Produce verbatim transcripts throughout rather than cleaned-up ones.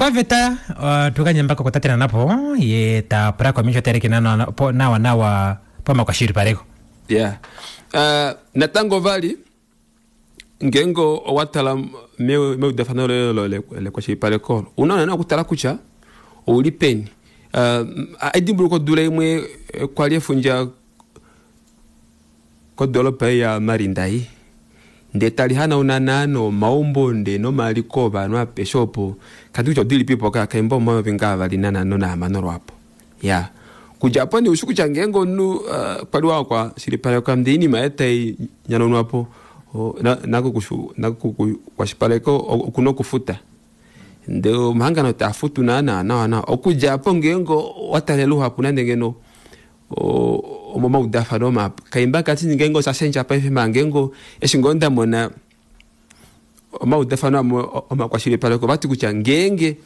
Paveta uh, tukanyambako kutatena napo ye ta pula komisho tereke nawa nawa nawa pamakwashilipaleko. Yeah. Uh, natango vali ngeenge owatala meudafano lekwashilipaleko una na okutala kutya ouli peni. Uh, edimbuluko dula imwe kwali efundja kodolopa ya Marindai nde tali hanauna nomaumbo nde nomaliko ovanhu apeshe opo kati kutya odilipipo kaimba omayovi ngaavali nanhano nahamano lwapo. Ya kudja apo nee ushi kutya ngeenge omunhu uh, kwali wakwashilipaleka ndee oinima yaye tai nyanunwapo nakukwashilipaleka okuna okufuta ndee omahangano taa futu naana nawa nawa. Okudja apo ngeenge watalela luhapu nande ngeno omomaudafano mahapu kaimba kati ngeenge osha paife maa ngeenge eshi ngoo ndamona omaudafano amwe omakwashilipaleko vati kutya ngeenge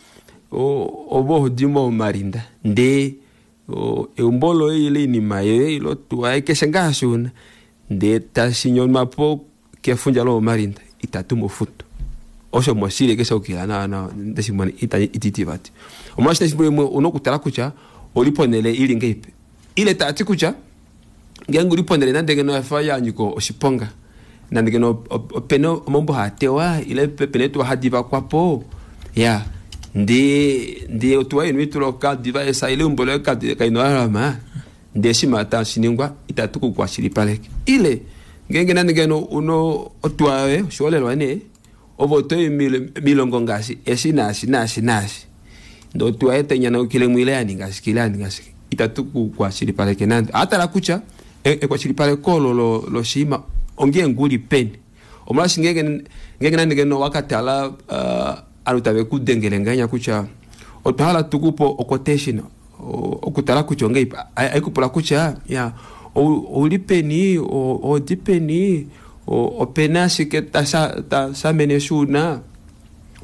ovo hodi momarinda ndee eumbo loye ile oinima yoye ile otuwa keshe ngaashi una ndee tashi nyonwapo kefundja lomomarinda itatu mufutu osho moshili keshe okila nawa nawa ndeshimona ititi vati. Omolwashike efimbo limwe una okutala kutya oli ponele ili ngeipi ile tati kutya ngeenge uli ponele nande ngeno yafa yanyika oshiponga nande ngeno opena omaumbo haatewa ile pena etuwa hadi vakwapo ya ndee ndee otuwa yenu ituloka diva esa ile eumbo loye kaina olalama ndee shima tashiningwa itatu kukwashilipaleke ile ngeenge nande ngeno uno otuwa yoye oshiholelwa nee ovo otoyi milongo ngaashi eshi naashi naashi naashi ndee otuwa yoye tainyanaukilemwe ile yaninga shike ile yaninga shike itatu kukwashilipaleke nande. Atala kutya ekwashilipaleko olo loshiima ongeenge uli peni. Omolwaashi ngeenge ngeenge nande ngeno wakatala uh, ovanhu tave kudengele ngahenya kutya otwa hala tukupe oquotation okutala kutya ongeipi aikupula kutya ya ouli peni odi peni opena ashike tashamene shuuna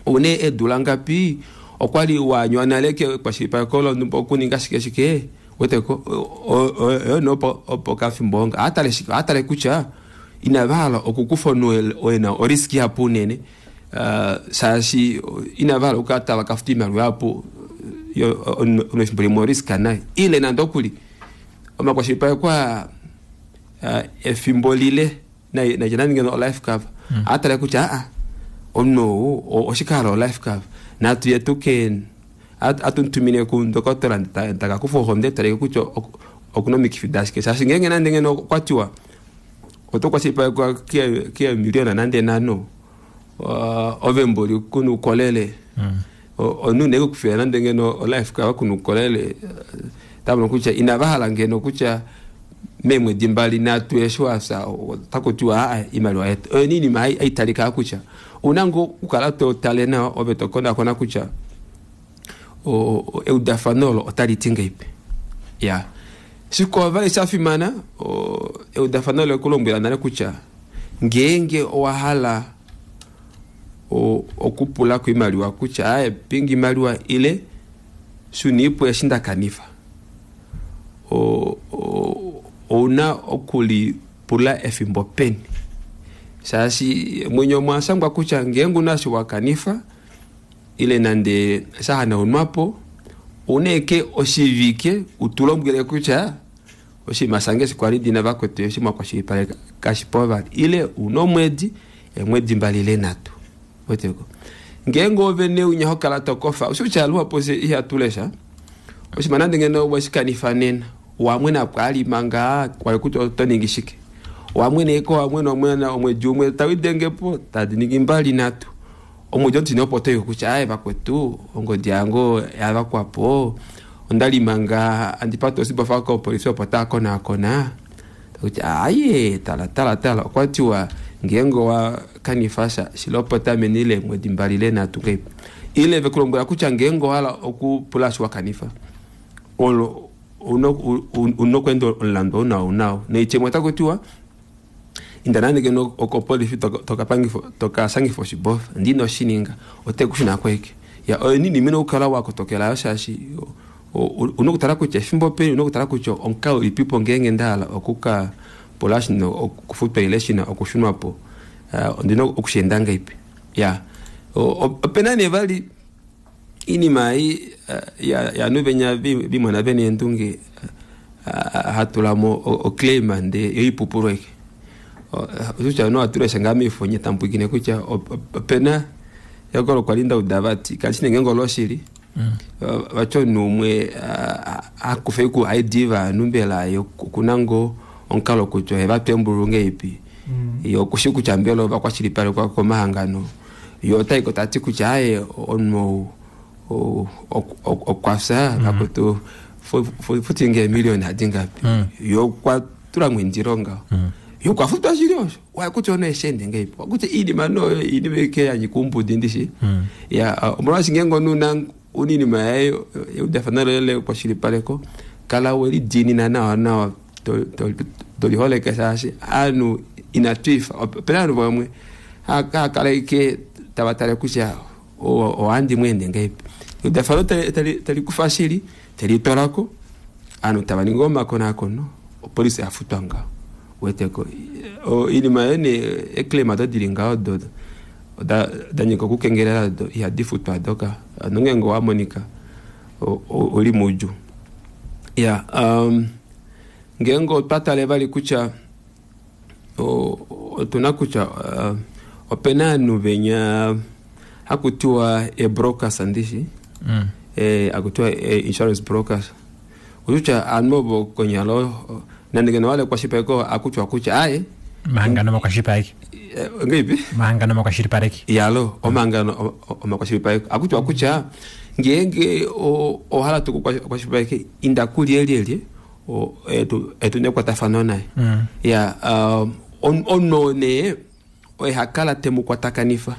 oune eedula ngapi okwali wanywa nale kekwashilipaleko lonhumba okuninga shike shike weteko oyo opo kafimbo onga atale shike atale kutya inava hala okukufa omunhu ena oriski ihapu unene uh, shaashi inava hala okukala tava kafuta oimaliwa ihapu omunhu efimbo limwe oriska naye ile nande okuli omakwashilipaleko aa efimbo lile naitya nande ngeno olife cover atale kutya aa omunhu ou oshike hala olife cover natu ye tuke atutumine kundokotola takakufa ohonde taleke kutya okuna omikifi dashike shaashi ngeenge nande ngeno okwatiwa oto kwashilipalekwa keemiliona nande nhano ove mboli kuna ukolele omunhu nee kukufila nande ngeno olife cover kuna ukolele tamono kutya inava hala ngeno kutya meemwedi mbali nhatu eshi wafya otakutiwa aa imaliwa yetu oyo iinima haitalika kutya una ngoo okukala totale nawa ove tokonakona kutya eudafano olo otali ti ngeipi. Ya shikwao vali shafimana eudafano olo ekulombwela nale kutya ngeenge owahala okupula koimaliwa kutya aye pinga imaliwa ile shuniipo eshi ndakanifa ouna okulipula efimbo peni shaashi mwenye omwashangwa kutya ngeenge una eshi wakanifa ile nande shahanaunwapo ouna eke oshivike utulombwele kutya oshinima shange eshi kwali ndina vakwetu eshi mwakwashilipaleka kashipo vali ile una omwedi eemwedi mbali ile nhatu weteko ngeenge ove neunya hokala tokofa oshi kutya luhapu ihatu lesha oshinima nande ngeno weshikanifa nena wamwena po ali manga kwali kutya oto ningi shike wamwene eko wamwene omwena omwedi umwe tawidengepo tadi ningi mbali nhatu omwedi otine opo toyi kutya aye vakwetu ongodi yange yavakwapo ondali manga andipata oshibofa kopolifi opo taakonaakona kutya aye tala tala tala okwatiwa ngeenge owakanifa sha shilopota meni leemwedi mbali ile nhatu ngeipi ile vekulombwela kutya ngeenge owahala okupula eshi wakanifa olo una okweenda omulandu ou nao noitya otakutiwa inda nande ngeno okopolifi tokashangifa oshibofa ndee inoshininga otekushuna kweke ya oyo iinima ina okukala wakotokela shaashi una okutala kutya efimbo peni una okutala kutya omukalo ulipipo ngeenge ndahala okuka pula shina okufutwa ile shina okushunwapo ondina okusheenda ngeipi ya opena nee vali Inima ei ya nuvenya vimona vene endunge hatulamo oclaim nde yoipupulweke kutya no atulesha ngaa miifonye tambwikine kutya opena yakolo kwali ndauda vati kali shinenge ngolo shili vacho numwe akufe ku I D vanhu mbela yo kunango onkalo kutya eva twembulu ngeipi yo kushi kutya mbelo vakwashilipalekwa komahangano yo otaiko tati kutya aye ono okwafya vakutu futi nge million hadingapi yo kwatula mwindironga yo kwafutwa shili osho wakuti ono eshende ngeipi wakuti inima no inima ike yanyikumbudi ndishi ya omolwashi ngengo nuna uninima yayo eudafanalo lele kwashilipaleko kala weli dinina nawa nawa toliholeke shaashi anu inatwifa opena anu vamwe akala ike tavatale kutya oandi mwende ngeipi eudafano talikufa shili talitwalako anu tavaninga omakonakono opolisi yafutwa ngaho weteko inima yene eclaim dodili ngaho dodo danyika okukengelela do ihadifutwa doka nongengo wamonika oli muju ya um, ngengo twatale vali kutya otuna kutya uh, opena anu venya hakutiwa e brokers andishi mm. e, akutiwa e insurance brokers kutya anu ovo konyalo nandingeno wale kwashipeko akutwa kutya aye mahangano makwashilipaleki ngeipi mahangano makwashilipaleki yalo omahangano omakwashilipaleki akutwa kutya ngenge ohala tukukwashilipaleki inda kulyelyelye etu nekwatafano naye ya ono ne oye hakala temukwatakanifa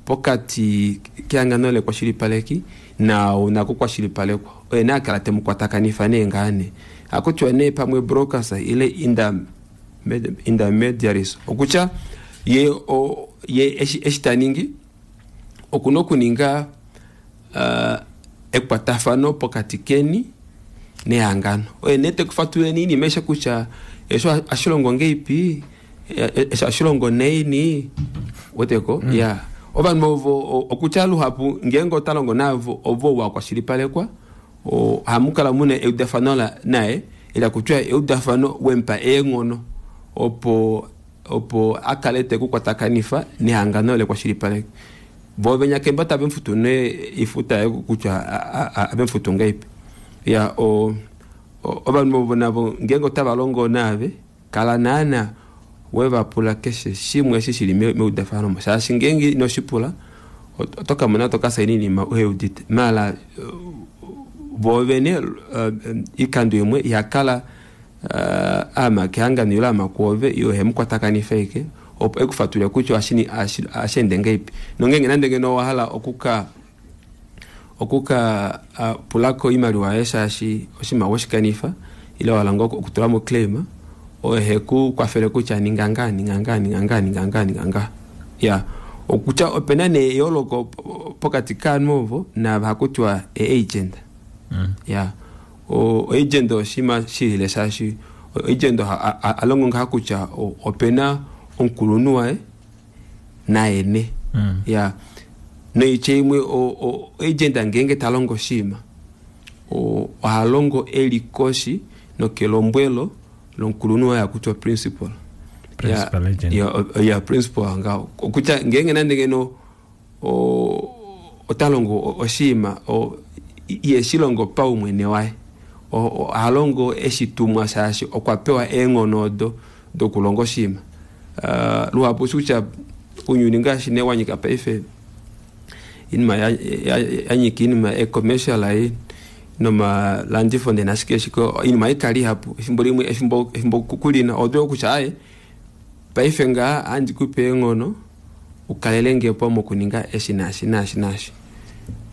pokati kehangano lekwashilipaleki na unakukwashilipalekwa oye ne akala temukwatakanifa nee ngaane akutya ne pamwe brokers ile inda intermediaries okutya ye o, ye eshi, eshi taningi okuna okuninga uh, ekwatafano pokati keni nehangano oye ne tekufatuleni inima eshe kutya esho ashilongo ngeipi esho ashilongo neini weteko mm. ya ovanhu ovo okutya luhapu ngenge otalongo navo ovo wakwashilipalekwa hamukala muna eudafano naye ila kutya eudafano wempa eenghono opo opo akale tekukwatakanifa nehangano lekwashilipaleka vo venya kemba tave mfutu ne ifuta kutya ave mfutu ngeipi ya o ovanhu ovo navo ngenge otava longo nave kala naana wevapula keshe shimwe eshi shili meudafano mo shaashi ngenge inoshipula otokamona tokasaina inima uheudite mala vo vene ikando imwe ihakala Uh, ama kehangano ilo ama kuove iyo hemukwatakanifa ike opo ekufatulila kutya ashini ashende ngeipi nongenge nande ngeno owahala okuka okuka uh, pulako imaliwa yaye shaashi oshinima weshikanifa ile wahala ngoo okutulamo claim oye hekukwafele kutya ninga nga ninga nga ninga nga ninga nga ninga nga ya okutya opena ne eyooloko pokati kaanhu ovo naava hakutiwa e-agent mm. ya o agent oshima shilile shaashi agent alongo ngaha kutya opena omukulunhu waye naye mm. ya noitya imwe o agent ngenge talongo shima ohalongo eli koshi nokelombwelo lomukulunhu waye akutya principal principal ya, agent ya, ya principal nga okutya ngenge nande ngeno otalongo oshima iye shilongo paumwene waye ohalongo eshitumwa shaashi okwa pewa eenghono odo dokulonga oshima uh, luhapu kutya unyuni ngaashi ne wanyika paife inima yanyika inima e-commercial ai nomalandifo nde nashike shiko inima ikali ihapu efimbo limwe efimbo efimbo kulina odwe kutya aye paife ngaa andikupe eenghono ukalele ngepo mokuninga eshi naashi naashi naashi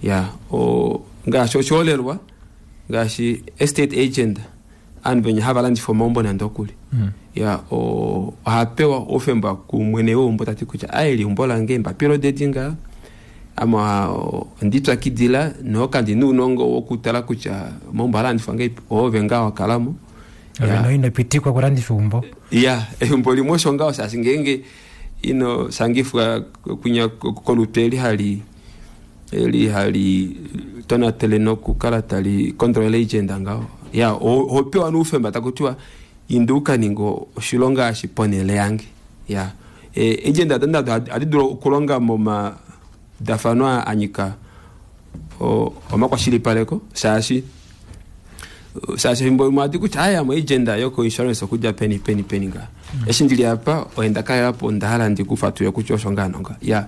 ya o ngaashi oshiholelwa ngaashi estate agent aanhu venya hava landifa omaumbo nande okuli mm. ya o ohapewa oufemba kumwene weumbo tati kutya aye liumbo lange embapilo dedi nga ama ondipyakidila nokandi nuunongo wokutala kutya omaumbo alandifwa ngeipi oove ngaa wakalamo ove inopitikwa kulandifa eumbo ya eumbo limwe osho ngaho shaashi ngeenge ino shangifwa kunya kolutu eli hali eli hali tonatele nokukala tali kontrole agenda ngaho ya oho pewa noufemba takutiwa inda ukaninga oshilonga eshi ponele yange ya e, agenda ado ohadi dulu okulonga momadafano anyika omakwashilipaleko shaashi shaashi efimbo limwe ohadi kutya aya mo agenda yoko insurance okudja peni peni peni nga eshi ndili apa oenda kalelapo onda hala ndikufatule kutya osho ngaa nonga ya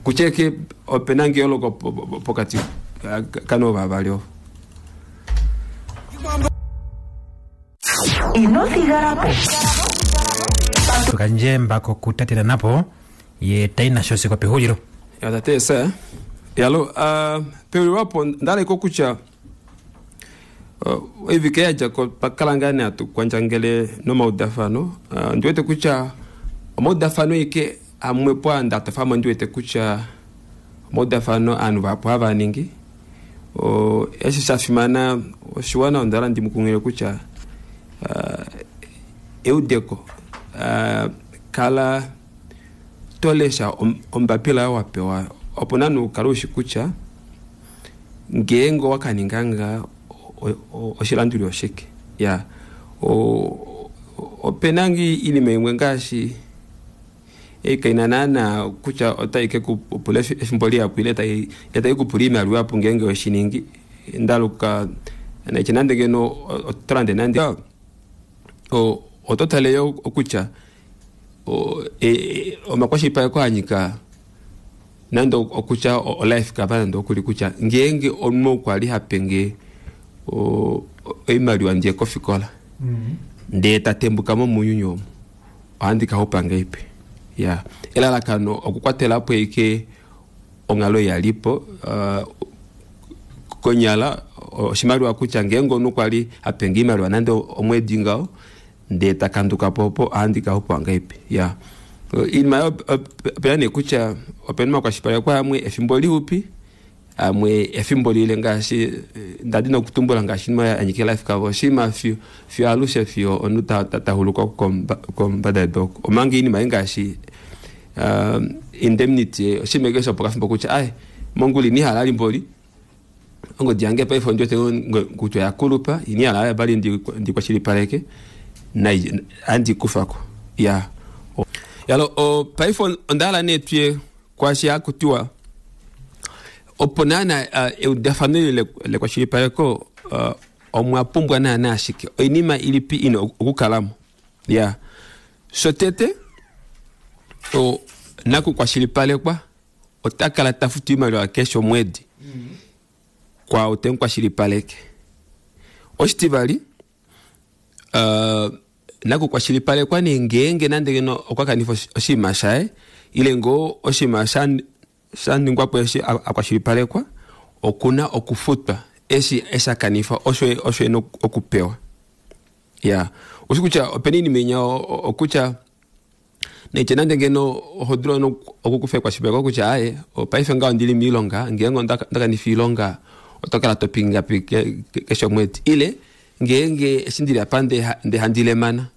kucheke opena ngeoloko pokati kano vavali ovo. Ino thigalapo. Tukandje mbako kutatela napo ye taina shosi kwa pehulilo. Ya tate sa yalo uh, pehulilo ndaleko kutya uh, evike yadja ko pakalangane atu kwandjangele nomaudafano uh, ndiwete kutya omaudafano ike amwepo andatofamo ndiwete kutya omaudafano aanhu vahapu havaningi o, eshi shafimana oshiwana ondala ndimukungile kutya uh, eudeko uh, kala tolesha ombapila oyo wapewa opo nanu ukale ushi kutya ngeenge wakaninga nga oshilanduli oshike ya opena ngi iinima imwe ngaashi kaina naana kutya otai ke kupula efimbo lihapu ile tai ile tai kupula iimaliwa apo ngeenge weshiningi ndaluka naitya nande ngeno oto lande nande oto tale yo kutya omakwashilipaleko anyika nande okutya olife cover nande okuli kutya ngeenge omunhu okwali hapenge oimaliwa ndiye kofikola ndee tatembuka mo mounyuni omu ohandi kaxupa ngeipi ya elalakano okukwatelapo ike onghalo yalipo uh, konyala oshimaliwa kutya ngeenge omunhu kwali apenge iimaliwa nande omwedi ngaho ndee takandukapo opo ohandi kaxupa ngeipi ya iinima yo opena nee kutya opena omakwashilipaleko amwe efimbo lihupi amwe efimbo lile ngaashi ndadi nokutumbula ngaashi inima yanyika life cover oshinima fiyo fiyo alushe fiyo omunhu tahuluka kombada yedu oko omanga iinima ngaashi uh, indemnity oshinima ike shopokafimbo kutya ai mongula inihala limboli ongodi yange paife ondiwete kutya oyakulupa inihala vali ndikwashilipaleke nai andikufako ya yalo paife ondahala nee tuye kwaashi hakutiwa opo naana uh, eudafano eli lekwashilipaleko uh, omwa pumbwa naana ashike oinima ilipi ina okukalamo ya shotete o nakukwashilipalekwa otakala tafutu iimaliwa keshe omwedi mm-hmm. kwa otemukwashilipaleke oshitivali uh, nakukwashilipalekwa nee ngeenge nande ngeno okwa kanifa oshinima shaye ile ngoo oshinima sha shaningwapo eshi akwashilipalekwa okuna okufutwa eshi eshakanifa osho osho ena okupewa ya oshi kutya opena iinima inya okutya naitya nande ngeno oho dulu okukufa ekwashilipaleko kutya aye paife ngaho ndili miilonga ngeenge ondakanifa iilonga oto kala to pingapi keshe omwedi ile ngeenge eshi ndili apa nde handilemana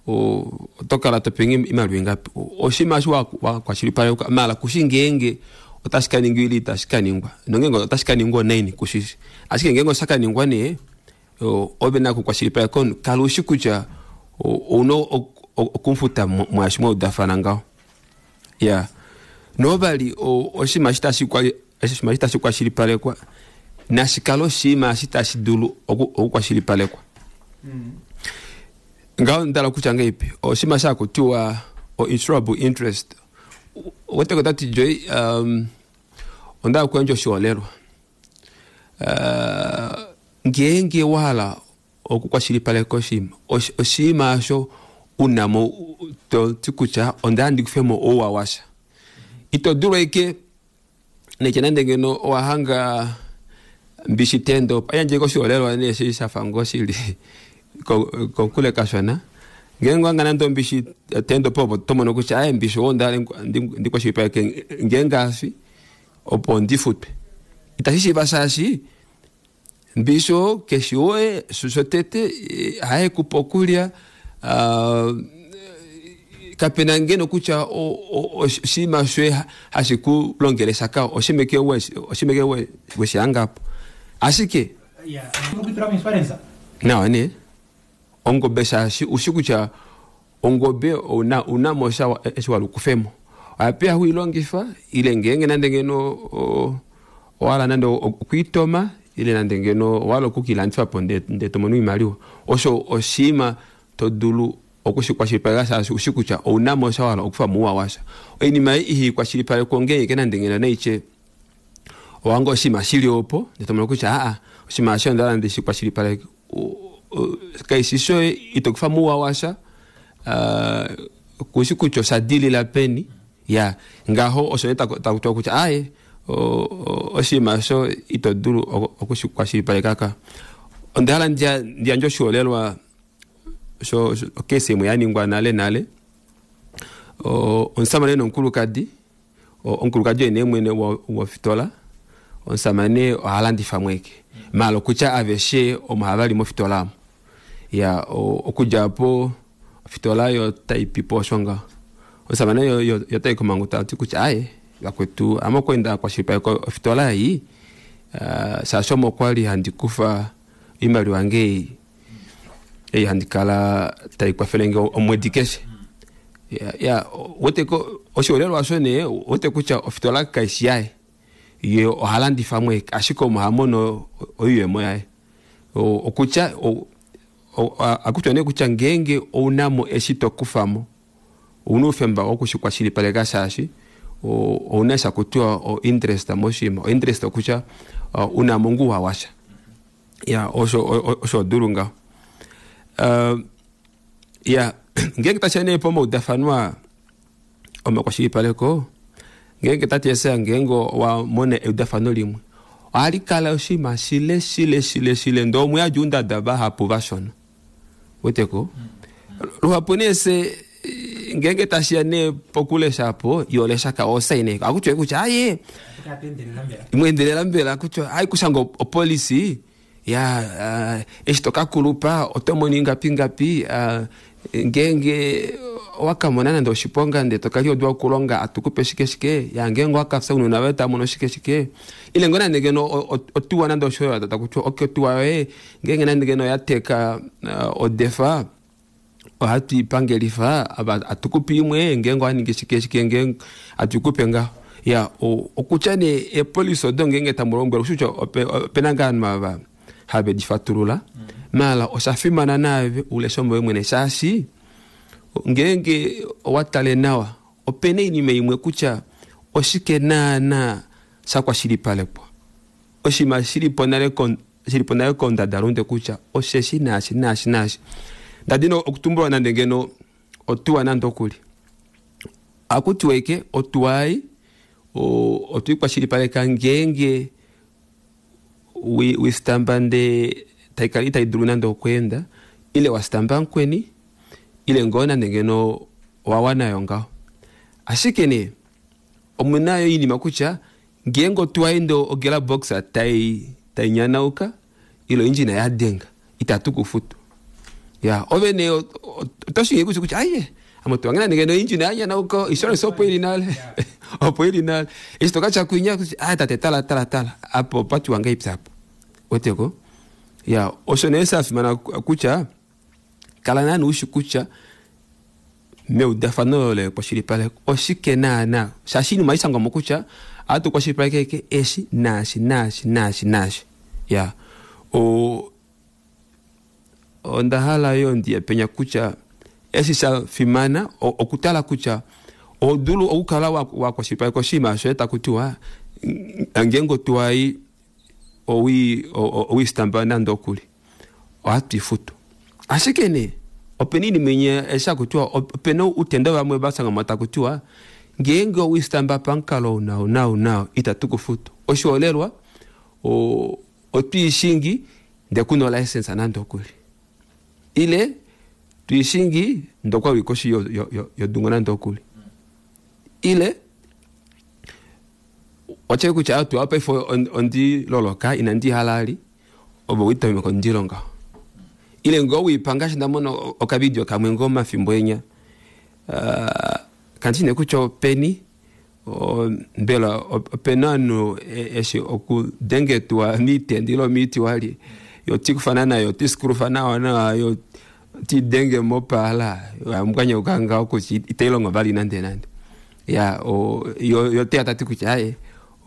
oto kala to pingi iimaliwa ingapi oshinima eshi wakwashilipalekwa mala kushi ngeenge otashi kaningwa ile itashi kaningwa nongeenge otashi kaningwa onaini kushishi ashike ngeenge oshakaningwa nee ove na kukwashilipaleka kala ushi kutya ouna okumufuta mwaashi mwaudafana ngaho ya novali oshinima eshi tashi kwashilipalekwa nashikale oshinima eshi tashi dulu okukwashilipalekwa ngaho ndala kutya ngeipi oshinima shakutiwa o insurable interest weteko tati Joy um, onda kuyandja oshiholelwa uh, ngeenge wahala okukwashilipaleka oshinima oshinima osho unamo toti kutya onda ndikufemo ouwa washa ito dulu ike naitya nande ngeno owahanga mbishi tendo ayandjeko oshiholelwa nee shi shafa ngoo shili kokule kashona ngeenge wanga nande ombishi tendo po opo tomono kutya aye mbishi oo ndale ndikwashilipaleke ngeenge afi opo ndifutwe itashi shiiva shaashi mbishi oo keshi woye shotete haye kupa okulya uh, Kapena ngeno kutya oshinima shoye hashi ku longele shaka oshimeke oshimeke weshihangapo. Ashike nawa ne ongobe shaashi ushi kutya ongobe una una mosha eshi walukufemo ohapeya huilongifa ile ngenge nande ngeno owala nande okuitoma ile nande ngeno owala okukilandifa po nde tomono oimaliwa. Osho oshima todulu okushikwashilipaleka shaashi ushi kutya ouna mosha wala okufa muwa washa. Oinima ei ihikwashilipalekwa ngenge nande ngeno naiche owango oshima shili opo nde tomono kutya aa oshima asho ndala nde shikwashilipaleke kaishisho itokufa muwa washa uh, kushi kutya oshadilila peni ya ngaho osho takutiwa kutya aye oshima asho itodulu okushikwashilipaleka ka. Ondahala ndiyandje oshiholelwa sho okesi imwe yaningwa nale nale omusamane nomukulukadi. Omukulukadi oye nee mwene wofitola, omusamane ohalandifa mweke malo kutya aveshe omo havali mofitola amo ya okudja po ofitola yo taipipo osho ngaho. Omusamane yo tai komangu tati kutya aye vakwetu ame okwenda kwashilipaleka ofitola ei shaashi omo kwali handi kufa oimaliwa yange ei handi kala taikwafele nge omwedi keshe. Ya, ya weteko oshiholelwa osho nee wete kutya ofitola kaishi yaye ye ohalandifa mweke ashike omo hamono oiyemo yaye. Okutya akutya nee kutya ngeenge ounamo eshi tokufamo ouna oufemba wokushikwashilipaleka shaashi ouna shakutiwa o interest moshima. O interest okutya unamo nguwa washa ya osho osho dulu ngaho. Uh, ya ngeenge tasha nee pomaudafanwa omakwashilipaleko ngeenge tati ngeenge wamona eudafano limwe ohali kala oshima shile shile shile shile ndo omuyadji undada vahapu vashona weteko luhapu nee se ngeenge tashiya nee pokulesha po yolesha ka osaine akutya kutya aye mwendelela mbela akutya ai kushanga opolisi ya uh, eshi tokakulupa oto ingapi ngapi uh, ngeenge wakamona nande oshiponga nde tokali odwa okulonga atukupe shike shike ya ngeenge wakafya unona vaye tamono shike shike ile ngo nande ngeno otuwa nande oshoyo takutya okay otuwa yoye ngeenge nande ngeno yateka uh, odefa ohatu ipangelifa atukupe imwe ngeenge waningi shike shike ngeenge atukupe ngaho ya okutya ne epolisi odo ngeenge tamulombwela kutya opena ngaa ovanhu ava have difatulula mala osha fimana naave ulesha moye mwene shaashi ngeenge owatale nawa opena oinima imwe kutya oshike naana shakwashilipalekwa oshima shilipo nale shilipo nale kondadalunde kutya osheshi naashi naashi naashi. Ndadino okutumbulwa nande ngeno otuwa nande okuli akutiwa ike otuwa ei otwikwashilipaleka ngeenge wistamba nde taikala itaidulu nande okweenda ile wastamba nkweni ile ngoo nande ngeno wawanayo ngaho. Ashike nee omunayo oinima kutya ngeenge otuwa inde ogela box tai tainyanauka ile oindjina yadenga itatu kufutu ya ove nee otoshingi kutya aye ame otuwa nge nande ngeno oindjina yanyanauka insurance opo ili nale opo ili nale eshi tokatya kwinya ah tate tala tala tala apo patiwa ngaipya apo weteko ya osho nee shafimana kutya kala nani ushi kutya meudafano lekwashilipaleko oshike naana shaashi inima ishangwamo kutya atukwashilipaleke eshi naashi naashi naashi naashi ya o ondahala yo ndiye penya kutya eshi shafimana okutala kutya odulu okukala wakwashilipaleka oshinima shoye takutiwa ngeenge otuwa ei owistamba nande okuli ohatu ifutu. Ashike nee opena oinima imwe eshi hakutiwa opena utendo vamwe vasangamo takutiwa ngeenge owistamba pamukalo nao nao nao itatu kufutu. Oshiholelwa otwiishingi ndee kuna olicense nande okuli ile twiishingi ndokwa wikoshi yodungo nande okuli ile watye kutya otuwa paife ondiloloka inandi halali ove witameka ondilonga ile ngoo wipa ngaashi ndamona okavidio kamwe ngoo mafimbo enya uh, kandi nee kutya openi mbela opena ovanhu eshi okudengetwa miitendi ile miiti wali yo tikufana nayo tisikurufa nawa nawa yo tidenge mopaala amukanyauka ngaho kutya itailongo vali nande nande ya o yo yo te tati kutya aye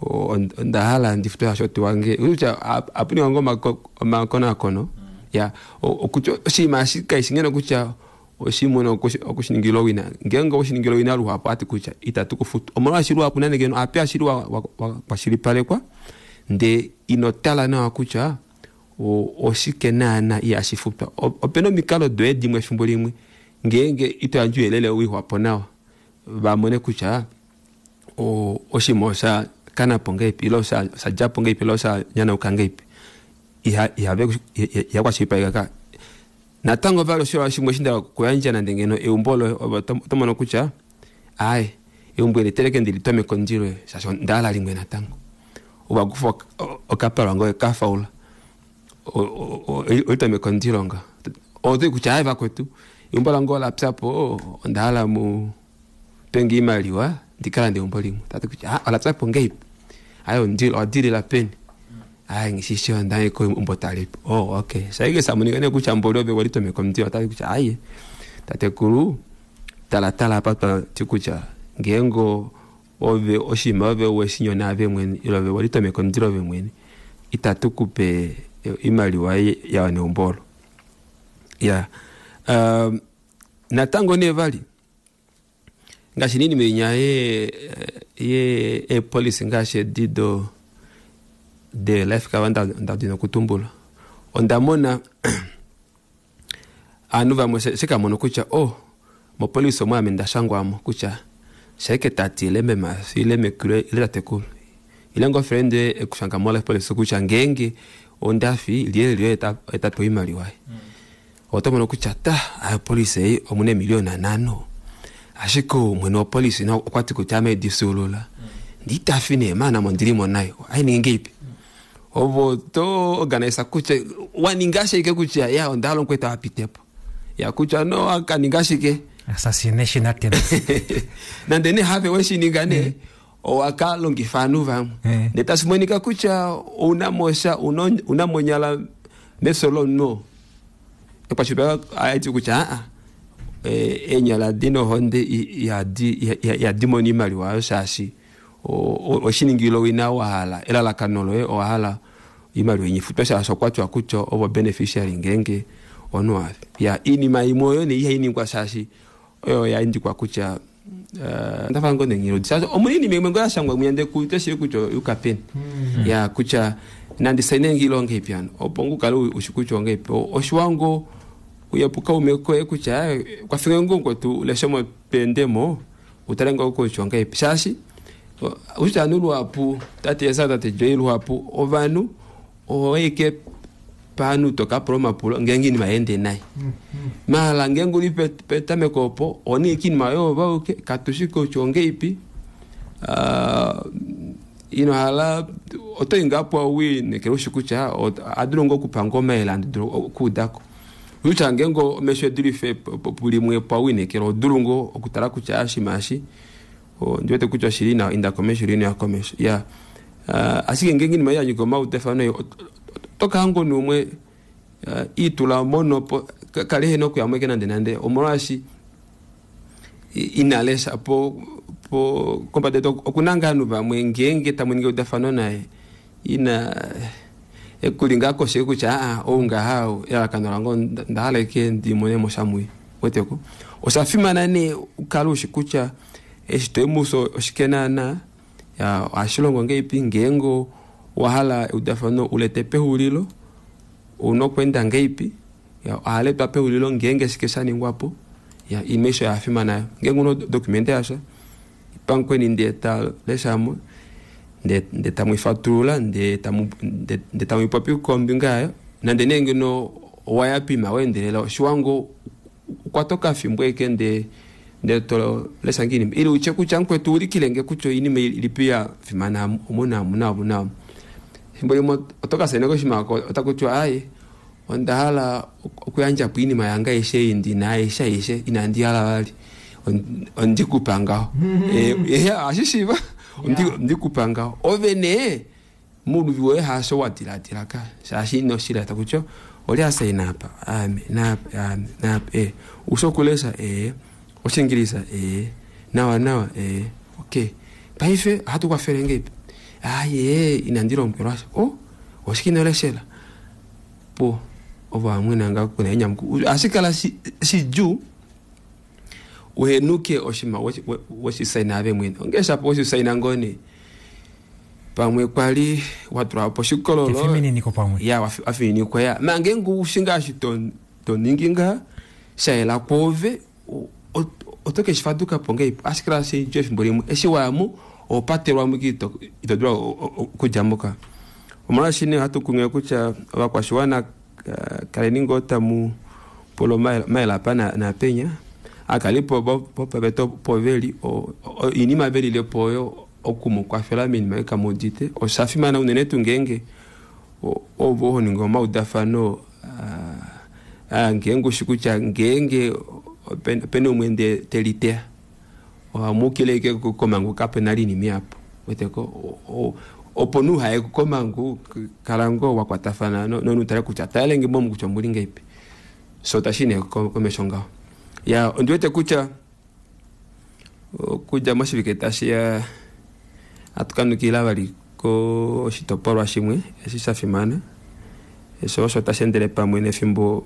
onda hala ndifutwe ashoti wange kutya apuninga ngo omakonakono ya okutya oshinima eshi kaishi ngeno kutya oshimuna okushiningila owina ngeenge oshiningila owina luhapu ati kutya itatu kufutu omolwaashi luhapu nande ngeno ape ashili wakwashilipalekwa ndee ino tala nawa kutya oshike naana ihashi futwa. Opena omikalo doye dimwe efimbo limwe ngeenge ito yandje ouyelele wixwapo nawa vamone kutya oshinima osha kanapo ngeipi ile osha djapo ngeipi ile osha nyanauka ngeipi iha kwashilipaleka. Natango vali osho shimwe shinda kuyandja nande ngeno eumbo loye oto mono kutya aye eumbo eli teleke ndili tome kondilo shasho ndahala limwe natango owakufa okapalwa ngoye kafaula olitome kondilo nga otoi kutya aye vakwetu eumbo lange olapyapo ondahala mu penge imaliwa ndikalande eumbo limwe tati kutya olapyapo ngeipi aye ondilo odilila peni aye ngishisho ndaye ko umbo talipo oh okay saike samunika ne kutya mboli ove walitome komndilo tati kutya aye tatekulu tala tala apa ti kutya ngengo ove oshima ove weshinyona ave mwene ile ove walitome komndilo ove mwene itatu kupe imaliwa ya neumbolo ya um, natango ne vali ngaashi nini menya ye ye e police ngaashi dido de life cover nda nda dino kutumbula onda mona anu vamwe sekamono kutya oh mo police omwe ame ndashangwamo kutya shaike tati ile mema ile mekule ile tatekulu ile ngo friend ekushanga mo life police kutya ngenge ondafi liye liye eta eta po imaliwa mm. Oto mono kutya ta ayo police ei omune miliona nano ashike mwene wa police na okwati kutya ame disulula mm. Nditafi ne mana mondilimo nayo ai ningi ipi ovo to organize kutya waninga shike kutya ya ondalo kweta apitepo ya kutya no akaninga shike assassination attempt nande ne have weshininga ne mm. Owaka longifa anu vamwe mm. Ndetasimonika kutya una mosha una monyala mesolo no ekwashipa aiti kutya a enyala dino honde ya di ya dimoni maliwa shashi oshiningilo wina wahala elalakano loye owahala imaliwa inyifutwa shasho okwatiwa kutya ovo beneficiary ngenge ono ya inima imwe oyo ne ihainingwa shashi oyo yaindikwa kutya ndafa ngo nengiro shasho omunini imwe ngo yashangwa muyende kutya kutya ukapeni ya kutya nandi saine ngilo ngepi ano opo ngukale ushikucho ngepi oshiwango uyepuka umeko kutya kwafika ngongo tu leshomo pendemo utale ngo kucho ngepi shashi ushanu lwapu tate yesa tate joyi lwapu ovanhu oike panu toka proma pulo ngengi ni maende nai mala ngengu li petameko opo oni kini mayo bauke katushiko chonge ipi uh, ino hala oto ingapo awi nekero shikucha adulongo kupanga maela nduro kudako ucha ngengo mesho durife pulimwe pa nekero odulungo okutala kucha ashimashi o ndiwete kucha shirina inda komesho rino ya komesho ya uh, ashike ngengi ni maya nyiko mautefano toka hango numwe uh, itula mono po kalehe no kuyamweke nande nande omolwashi inalesha po po kompade okunanga anu vamwe ngenge tamweninge udafano naye ina ekulinga koshe kutya a ounga hao elalakano lango ndahaleke ndimone moshamui weteko osha fimana ne ukale ushi kutya eshi toimuso oshikenana ya ohashilongo ngeipi ngengo wahala eudafano ulete pehulilo unokwenda ngeipi ya ohaletwa pehulilo ngenge shike shaningwapo ya imesho yafimana ngenge uno documente yasha ipankweni nde ta leshamo nde nde tamwifatulula nde tamu nde tamwipopi kombinga yayo nande nenge no wayapima wendelela oshiwango okwatoka fimbo eke nde nde to lesa ngini ili uche kutya nkwetu ulikilenge kutya inima ilipi ya fimana omuna omuna omuna fimbo limwe otoka sene koshimako otakutya aye onda hala okuyandja po iinima yange aishe ei ndina aishe aishe inandi hala vali Ondikupa ngaho. Eh, ohashishiiva ondikupa ngaho. Ove nee muluvi woye haasho wa diladila ka shaashi ino shilata kutya oli asaina apa ame naapa ame naapa e ushi okulesha ee oshingilisa ee nawa nawa ee okay paife ohatu kwafele ngeipi aye inandi lombwelwasha o oshike ino leshela po ovo vamwena nga kuna enyamukulo ohashi kala shidjuu uhenuke oshinima weshisaina ave mwene onge shapo weshisaina ngoo nee pamwe kwali watula po oshikololo Efimininiko pamwe. Ya wafininikwa ya ma ngeenge ushi ngaashi to to ningi ngaha shayela kwoove oto ke shifaduka po ngeipi ohashi kala shidjuu efimbo limwe eshi wayamo oho patelwamo ito ito dulu okudjamo ka omolwaashi nee ohatu kunghilile kutya ovakwashiwana kaleni ngoo tamu pula omayele apa naapenya akalipo vopaveta opo veli oinima velilepo oyo okumukwafela moinima ei kamuudite oshafimana unene tuu ngeenge ovo honingi omaudafano ngeenge ushi kutya ngeenge opena umwe ndee teliteya ohamukile ashike komangu kapena oinima ihapu uweteko opo nee uhaye komangu kala ngoo wakwatafana nomunhu utale kutya talenge momu kutya omuli ngahelipi soo tashi nee komesho ngaho ya ondiwete kutya okudja moshivike tashiya ohatu kanukila vali koshitopolwa shimwe eshi shafimana osho osho tashi endele pamwe nefimbo.